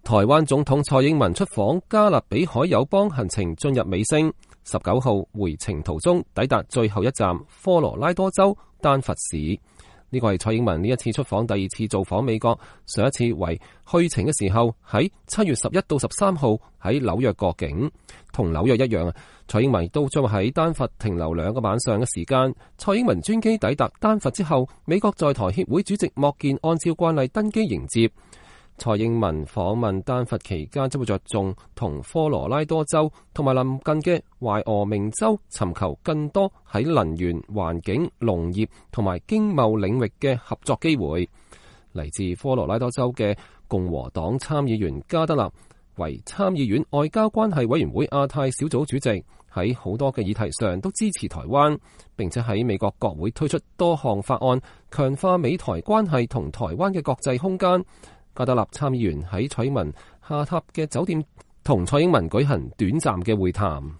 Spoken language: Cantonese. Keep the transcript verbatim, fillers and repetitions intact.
台灣總統蔡英文出訪加勒比海友邦行程進入尾聲，十九號回程途中抵達最後一站科羅拉多州丹佛市。呢個係蔡英文呢一次出訪第二次造訪美國，上一次為去程嘅時候喺七月十一到十三號喺紐約過境。同紐約一樣，蔡英文都將喺丹佛停留兩個晚上嘅時間。蔡英文專機抵達丹佛之後，美國在台協會主席莫健按照慣例登機迎接。蔡英文訪問丹佛期間，將會着重同科羅拉多州同埋鄰近嘅懷俄明州尋求更多喺能源、環境、農業同埋經貿領域嘅合作機會。嚟自科羅拉多州嘅共和黨參議員加德納為參議院外交關係委員會亞太小組主席，喺好多嘅議題上都支持台灣，並且喺美國國會推出多項法案，強化美台關係同台灣嘅國際空間。加德納參議員喺蔡英文下榻嘅酒店同蔡英文舉行短暫嘅會談。